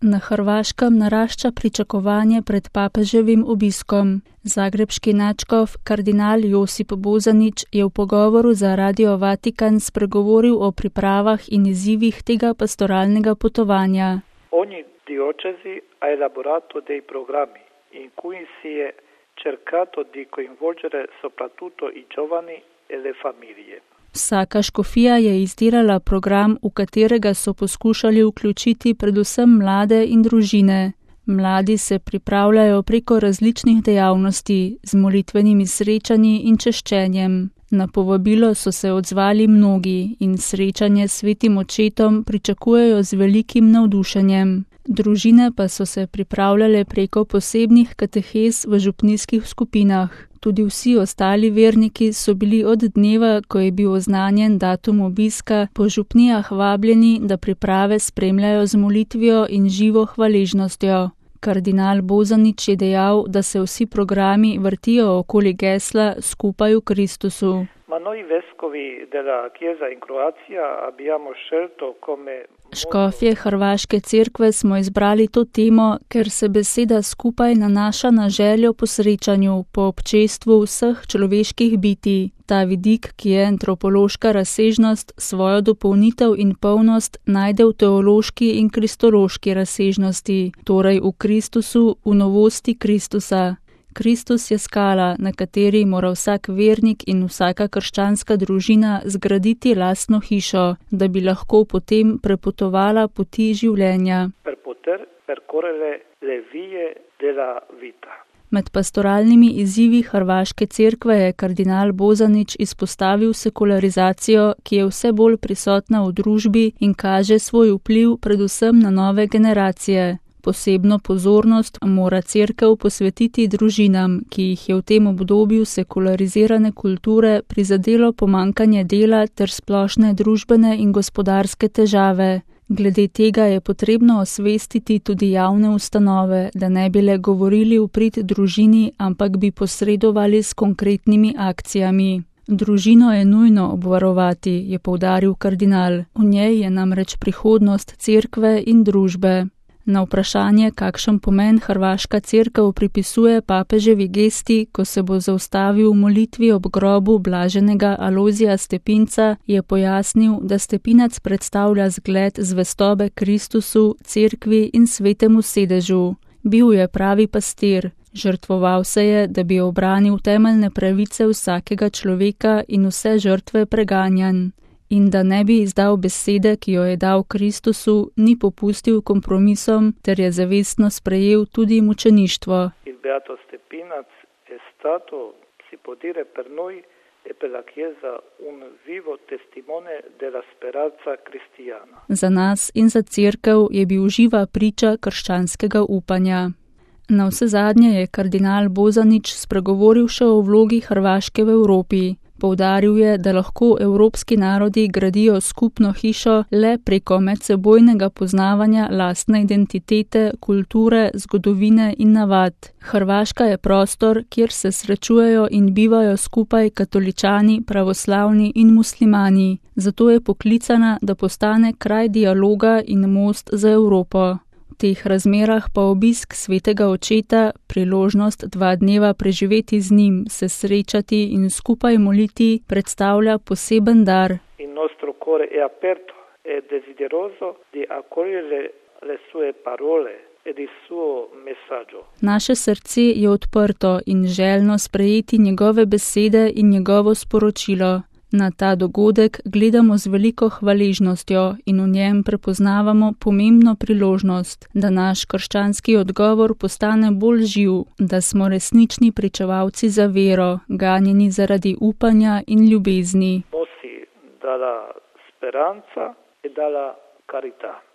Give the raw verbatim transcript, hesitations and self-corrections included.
Na Hrvaškem narašča pričakovanje pred papeževim obiskom. Zagrebški nadškof kardinal Josip Bozanić je v pogovoru za Radio Vatikan spregovoril o pripravah in izzivih tega pastoralnega potovanja. Ogni diocesi ha elaborato dei programmi in cui si è cercato di coinvolgere soprattutto i giovani e le famiglie. Vsaka škofija je izdelala program, v katerega so poskušali vključiti predvsem mlade in družine. Mladi se pripravljajo preko različnih dejavnosti, z molitvenimi srečanji in češčenjem. Na povabilo so se odzvali mnogi in srečanje s svetim očetom pričakujejo z velikim navdušenjem. Družine pa so se pripravljale preko posebnih katehez v župnijskih skupinah. Tudi vsi ostali verniki so bili od dneva, ko je bil oznanjen datum obiska, po župnijah vabljeni, da priprave spremljajo z molitvijo in živo hvaležnostjo. Kardinal Bozanić je dejal, da se vsi programi vrtijo okoli gesla Skupaj v Kristusu. Ma noi vescovi della Chiesa in Croazia abbiamo scelto come Škofje Hrvaške cerkve smo izbrali to temo, ker se beseda skupaj nanaša na željo po srečanju, po občestvu vseh človeških bitij. Ta vidik, ki je antropološka razsežnost, svojo dopolnitev in polnost najde v teološki in kristološki razsežnosti, torej v Kristusu, v novosti Kristusa. Kristus je skala, na kateri mora vsak vernik in vsaka krščanska družina zgraditi lastno hišo, da bi lahko potem prepotovala poti življenja. Per poter percorrere le vie della vita. Med pastoralnimi izzivi Hrvaške cerkve je kardinal Bozanić izpostavil sekularizacijo, ki je vse bolj prisotna v družbi in kaže svoj vpliv predvsem na nove generacije. Posebno pozornost mora cerkev posvetiti družinam, ki jih je v tem obdobju sekularizirane kulture prizadelo pomanjkanje dela ter splošne družbene in gospodarske težave. Glede tega je potrebno osvestiti tudi javne ustanove, da ne bi le govorili v prid družini, ampak bi posredovali s konkretnimi akcijami. Družino je nujno obvarovati, je poudaril kardinal. V njej je namreč prihodnost cerkve in družbe. Na vprašanje, kakšen pomen Hrvaška cerkev pripisuje papeževi gesti, ko se bo zaustavil v molitvi ob grobu blaženega Alojzija Stepinca, je pojasnil, da Stepinac predstavlja zgled zvestobe Kristusu, cerkvi in svetemu sedežu. Bil je pravi pastir. Žrtvoval se je, da bi obranil temeljne pravice vsakega človeka in vse žrtve preganjanj. In da ne bi izdal besede, ki jo je dal Kristusu, ni popustil kompromisom, ter je zavestno sprejel tudi mučeništvo. Il beato Stepinac è stato, si può dire per noi e per la Chiesa, un vivo testimone della speranza cristiana. Za nas in za cerkev je bil živa priča krščanskega upanja. Na vse zadnje je kardinal Bozanić spregovoril še o vlogi Hrvaške v Evropi. Poudaril je, da lahko evropski narodi gradijo skupno hišo le preko medsebojnega poznavanja lastne identitete, kulture, zgodovine in navad. Hrvaška je prostor, kjer se srečujejo in bivajo skupaj katoličani, pravoslavni in muslimani. Zato je poklicana, da postane kraj dialoga in most za Evropo. V teh razmerah pa obisk svetega očeta, priložnost dva dneva preživeti z njim, se srečati in skupaj moliti, predstavlja poseben dar. Il nostro cuore è aperto e desideroso di accogliere le sue parole ed il suo messaggio. Naše srce je odprto in željno sprejeti njegove besede in njegovo sporočilo. Na ta dogodek gledamo z veliko hvaležnostjo in v njem prepoznavamo pomembno priložnost, da naš krščanski odgovor postane bolj živ, da smo resnični pričevalci za vero, ganjeni zaradi upanja in ljubezni. Mossi dalla speranza e dalla carità.